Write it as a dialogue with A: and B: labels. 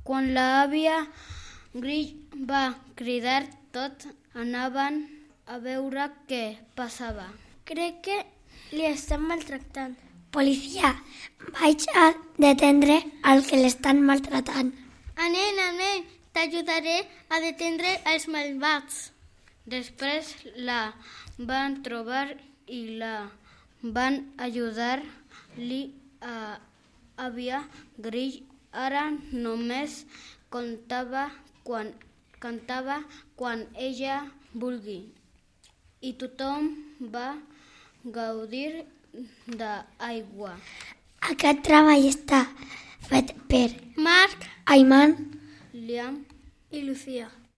A: Quan l'àvia Grill va cridar, tots anaven a veure què passava.
B: Crec que li estan maltractant. Policia, vaig a detendre el que l'estan maltratant.
C: Anem, t'ajudaré a detendre els malvats.
A: Després la van trobar i la van ajudar-li a àvia Grill. Ara només cantava quan ella vulgui i tothom va gaudir d'aigua.
B: Aquest treball està fet per
C: Marc,
B: Ayman,
A: Liam
C: i Lucía.